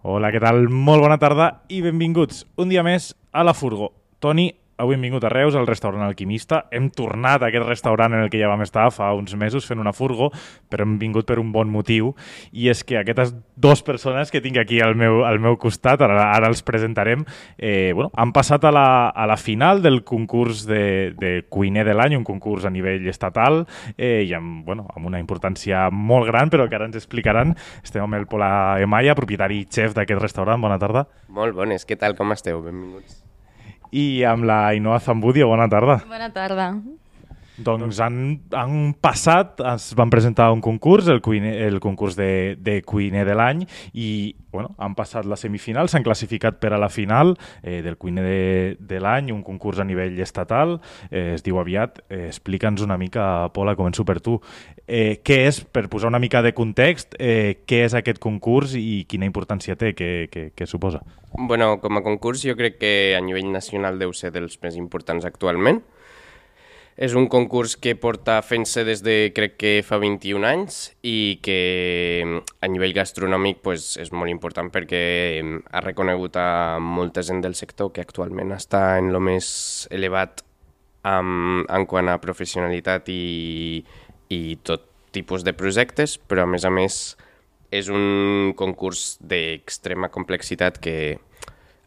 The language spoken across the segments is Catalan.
Hola, què tal? Molt bona tarda i benvinguts un dia més a La Furgo. Toni, avui hem vingut a Reus, al restaurant Alquimista. Hem tornat a aquest restaurant en el que ja vam estar fa uns mesos fent una furgo, però hem vingut per un bon motiu, i és que aquestes dues persones que tinc aquí al meu costat, ara els presentarem, han passat a la final del concurs de cuiner de l'any, un concurs a nivell estatal, i amb una importància molt gran, però que ara ens explicaran. Estem amb el Pol Amaya, propietari i xef d'aquest restaurant. Bona tarda. Molt bones, què tal, com esteu? Benvinguts. I amb la Ainhoa Zambudio, bona tarda. Bona tarda. Doncs han passat, es van presentar un concurs, el concurs de cuiner de l'any, i han passat la semifinal, s'han classificat per a la final del cuiner de l'any, un concurs a nivell estatal, es diu aviat. Explica'ns una mica, Pola, començo per tu. Què és, per posar una mica de context, què és aquest concurs i quina importància té, què suposa? Bueno, com a concurs jo crec que a nivell nacional deu ser dels més importants actualment. És un concurs que porta fent-se des de, crec que fa 21 anys, i que a nivell gastronòmic pues, és molt important perquè ha reconegut a molta gent del sector que actualment està en lo més elevat en quant a professionalitat i tot tipus de projectes, però a més és un concurs d'extrema complexitat que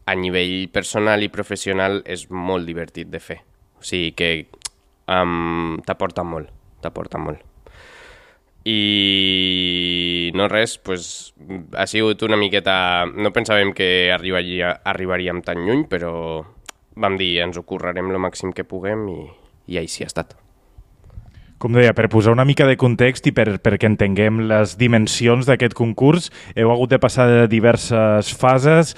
a nivell personal i professional és molt divertit de fer. O sigui que t'aporta molt. I no res, pues, ha sigut una miqueta... No pensàvem que arribaríem tan lluny, però vam dir, ens ho currarem el màxim que puguem i així ha estat. Com deia, per posar una mica de context i perquè entenguem les dimensions d'aquest concurs, heu hagut de passar de diverses fases,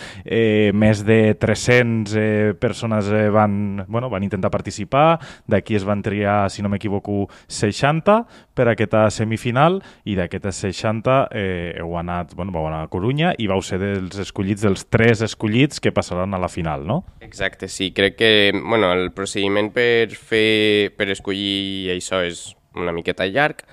més de 300 persones van intentar participar, d'aquí es van triar, si no m'equivoco, 60 per a aquesta semifinal, i d'aquestes 60 vau anar a Corunya i vau ser dels 3 escollits que passaran a la final, no? Exacte, sí. Crec que el procediment per escollir això és una miqueta llarg,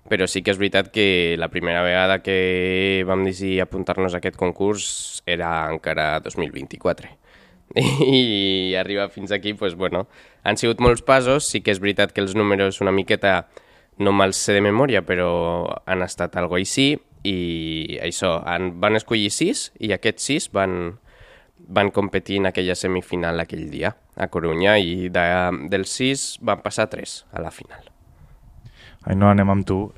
però sí que és veritat que la primera vegada que vam decidir apuntar-nos a aquest concurs era encara 2024. I arribar fins aquí, han sigut molts passos. Sí que és veritat que els números una miqueta no me'ls sé de memòria, però han estat algo així, i això, van escollir 6, i aquests 6 van competir en aquella semifinal aquell dia a Corunya, i dels 6 van passar 3 a la final. No, anem amb tu.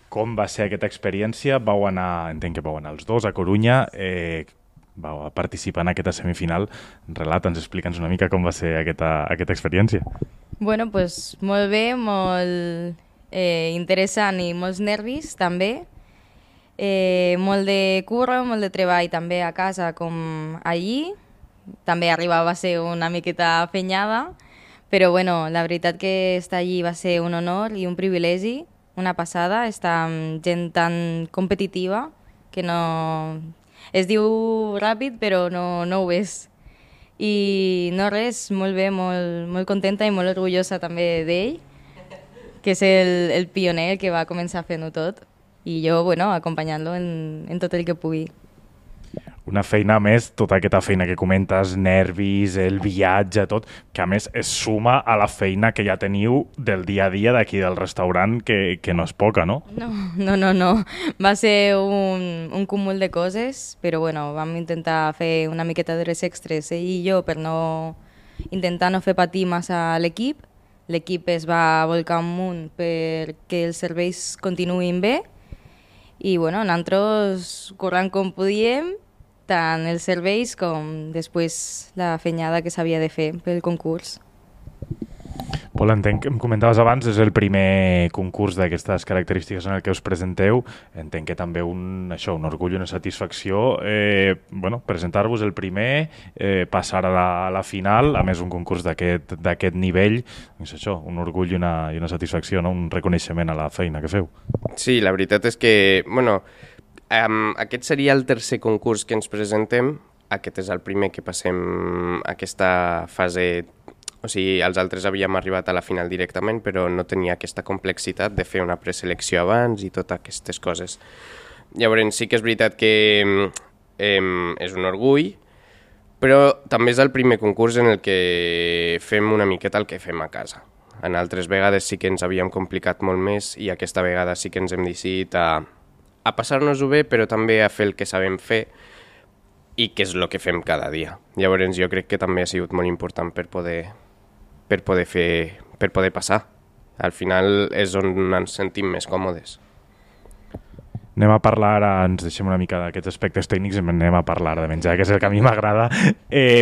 Com va ser aquesta experiència? Entenc que vau anar els dos a Corunya, vau participar en aquesta semifinal. Relata'ns, explica'ns una mica com va ser aquesta experiència. Bueno, pues molt bé, molt interessant i molts nervis també. Molt de curro, molt de treball també a casa com allí. També arribava a ser una miqueta fenyada, però la veritat que estar allí va ser un honor i un privilegi, una passada, estar amb gent tan competitiva que no... Es diu ràpid, però no ho és. I no res, molt bé, molt contenta i molt orgullosa també d'ell, que és el pioner que va començar fent-ho tot, i jo, acompanyant-lo en tot el que pugui. Una feina més, tota aquesta feina que comentes, nervis, el viatge, tot, que a més es suma a la feina que ja teniu del dia a dia d'aquí del restaurant, que no és poca, no? No. Va ser un cúmul de coses, però vam intentar fer una miqueta d'hores extres, ell i jo, per intentar no fer patir massa l'equip. L'equip es va volcar amunt perquè els serveis continuïn bé, i nosaltres corrent com podíem, tant els serveis com després la fenyada que s'havia de fer pel concurs. Pol, entenc que em comentaves abans, és el primer concurs d'aquestes característiques en el que us presenteu. Entenc que també un orgull i una satisfacció presentar-vos el primer, passar a la final, a més un concurs d'aquest nivell, és això, un orgull i una satisfacció, no? Un reconeixement a la feina que feu. Sí, la veritat és que, aquest seria el tercer concurs que ens presentem. Aquest és el primer que passem aquesta fase. O sigui, els altres havíem arribat a la final directament, però no tenia aquesta complexitat de fer una preselecció abans i totes aquestes coses. Llavors sí que és veritat que és un orgull, però també és el primer concurs en el que fem una miqueta el que fem a casa. En altres vegades sí que ens havíem complicat molt més i aquesta vegada sí que ens hem decidit a passar-nos-ho bé, però també a fer el que sabem fer i que és el que fem cada dia. Llavors jo crec que també ha sigut molt important per poder passar. Al final és on ens sentim més còmodes. Anem a parlar ara, ens deixem una mica d'aquests aspectes tècnics i anem a parlar de menjar, que és el que a mi m'agrada.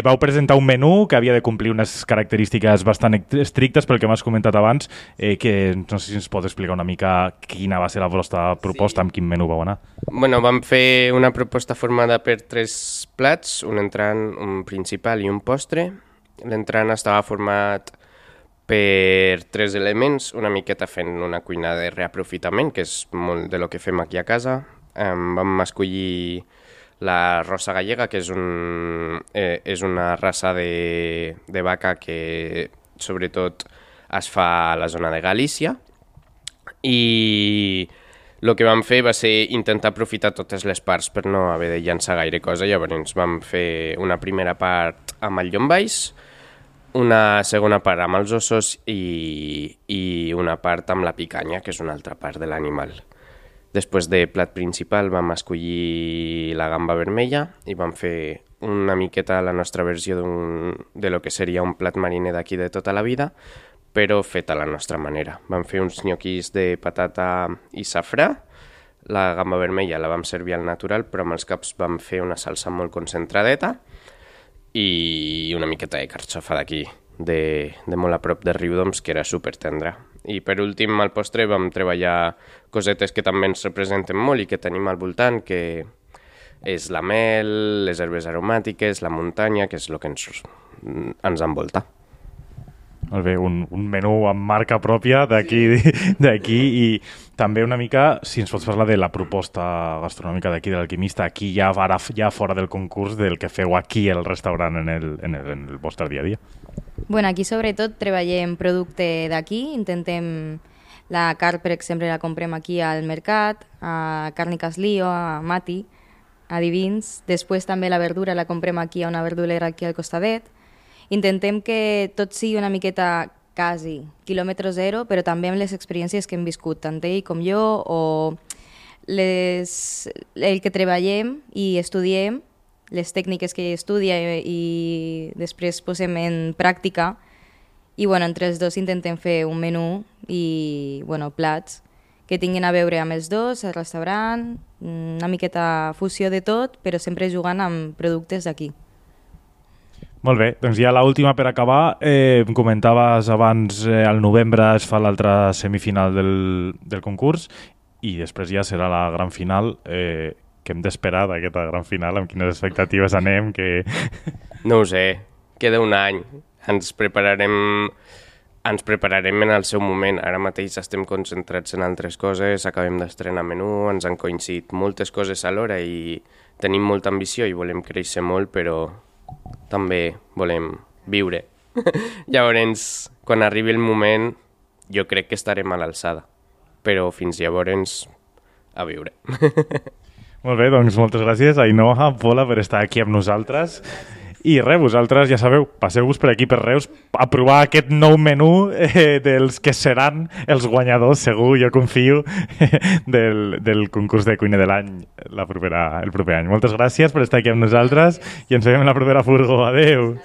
Vau presentar un menú que havia de complir unes característiques bastant estrictes pel que m'has comentat abans, que no sé si ens pots explicar una mica quina va ser la vostra proposta, amb quin menú vau anar. Bueno, vam fer una proposta formada per 3 plats, un entrant, un principal i un postre. L'entrant estava format per 3 elements, una miqueta fent una cuina de reaprofitament, que és molt de lo que fem aquí a casa. Vam escollir la rosa gallega, que és una raça de vaca que sobretot es fa a la zona de Galícia. I el que vam fer va ser intentar aprofitar totes les parts per no haver de llançar gaire cosa. Llavors vam fer una primera part amb el llombaix, una segona part amb els ossos i una part amb la picanya, que és una altra part de l'animal. Després de plat principal vam escollir la gamba vermella i vam fer una miqueta la nostra versió de lo que seria un plat mariner d'aquí de tota la vida, però fet a la nostra manera. Vam fer uns nyoquis de patata i safrà. La gamba vermella la vam servir al natural, però amb els caps vam fer una salsa molt concentradeta i una miqueta de carxofa d'aquí, de molt a prop de Riudoms, que era super tendra. I per últim, al postre, vam treballar cosetes que també ens representen molt i que tenim al voltant, que és la mel, les herbes aromàtiques, la muntanya, que és el que ens envolta. Molt bé, un menú amb marca pròpia d'aquí i també una mica, si ens pots parlar de la proposta gastronòmica d'aquí de l'Alquimista, aquí ja fora del concurs, del que feu aquí al restaurant en el vostre dia a dia. Bueno, aquí sobretot treballem producte d'aquí, intentem la carn, per exemple, la comprem aquí al mercat, a Càrniques Lío, a Mati, a Divins. Després també la verdura la comprem aquí a una verdulera aquí al costadet. Intentem que tot sigui una miqueta quasi quilòmetre zero, però també amb les experiències que hem viscut, tant ell com jo, o el que treballem i estudiem, les tècniques que estudia i després posem en pràctica. I bueno, entre els dos intentem fer un menú i plats que tinguin a veure amb els dos, el restaurant, una miqueta fusió de tot, però sempre jugant amb productes d'aquí. Molt bé, doncs ja l'última per acabar. Em comentaves abans, al novembre es fa l'altra semifinal del concurs i després ja serà la gran final. Què hem d'esperar d'aquesta gran final? Amb quines expectatives anem? No ho sé, queda un any. Ens prepararem en el seu moment. Ara mateix estem concentrats en altres coses, acabem d'estrenar menú, ens han coincidit moltes coses alhora i tenim molta ambició i volem créixer molt, però també volem viure. Llavors, quan arribi el moment, jo crec que estarem a l'alçada. Però fins llavors, a viure. Molt bé, doncs moltes gràcies, Ainhoa, Pola, per estar aquí amb nosaltres. I res, vosaltres ja sabeu, passeu-vos per aquí per Reus a provar aquest nou menú dels que seran els guanyadors, segur, jo confio, del concurs de cuina de l'any el proper any. Moltes gràcies per estar aquí amb nosaltres i ens veiem en la propera furgo. Adéu!